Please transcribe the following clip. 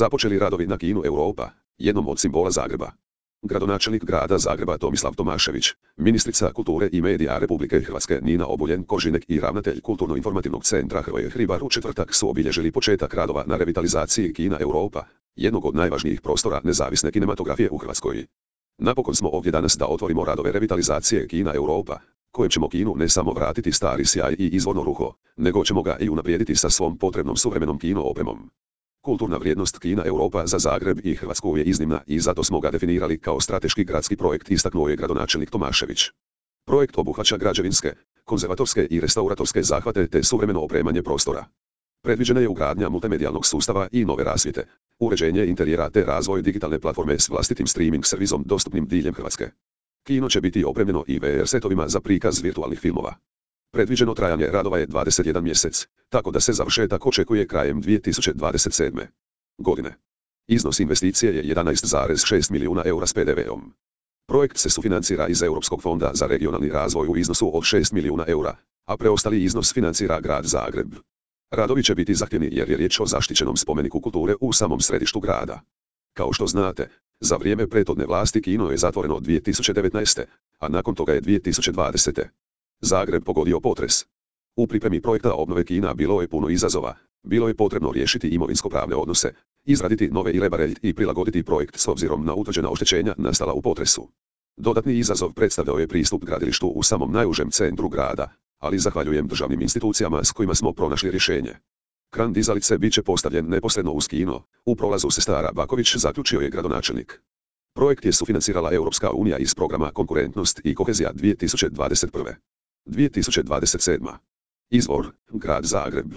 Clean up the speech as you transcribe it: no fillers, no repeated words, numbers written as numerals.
Započeli radovi na kinu Europa, jednom od simbola Zagreba. Gradonačelnik grada Zagreba Tomislav Tomašević, ministrica kulture i medija Republike Hrvatske Nina Obuljen Koržinek i ravnatelj Kulturno-informativnog centra Hrvoje Hribar u četvrtak su obilježili početak radova na revitalizaciji kina Europa, jednog od najvažnijih prostora nezavisne kinematografije u Hrvatskoj. Napokon smo ovdje danas da otvorimo radove revitalizacije kina Europa, kojem ćemo kinu ne samo vratiti stari sjaj i izvorno ruho, nego ćemo ga i unaprijediti sa svom potrebnom suvremenom kino opremom. Kulturna vrijednost kina Europa za Zagreb i Hrvatsku je iznimna i zato smo ga definirali kao strateški gradski projekt, istaknuo je gradonačelnik Tomašević. Projekt obuhvaća građevinske, konzervatorske i restauratorske zahvate te suvremeno opremanje prostora. Predviđena je ugradnja multimedijalnog sustava i nove rasvjete, uređenje interijera te razvoj digitalne platforme s vlastitim streaming servisom dostupnim diljem Hrvatske. Kino će biti opremljeno i VR setovima za prikaz virtualnih filmova. Predviđeno trajanje radova je 21 mjesec, tako da se završetak očekuje krajem 2027. godine. Iznos investicije je 11,6 milijuna eura s PDV-om. Projekt se sufinancira iz Europskog fonda za regionalni razvoj u iznosu od 6 milijuna eura, a preostali iznos financira grad Zagreb. Radovi će biti zahtjevni jer je riječ o zaštićenom spomeniku kulture u samom središtu grada. Kao što znate, za vrijeme prethodne vlasti kino je zatvoreno 2019. a nakon toga je 2020. Zagreb pogodio potres. U pripremi projekta obnove kina bilo je puno izazova, bilo je potrebno riješiti imovinsko-pravne odnose, izraditi nove irebare i prilagoditi projekt s obzirom na utvrđena oštećenja nastala u potresu. Dodatni izazov predstavljao je pristup gradilištu u samom najužem centru grada, ali zahvaljujem državnim institucijama s kojima smo pronašli rješenje. Kran dizalice bit će postavljen neposredno uz kino, u prolazu Sestara Baković, zaključio je gradonačelnik. Projekt je sufinancirala Europska unija iz programa Konkurentnost i kohezija 2021. 2027. Izvor, grad Zagreb.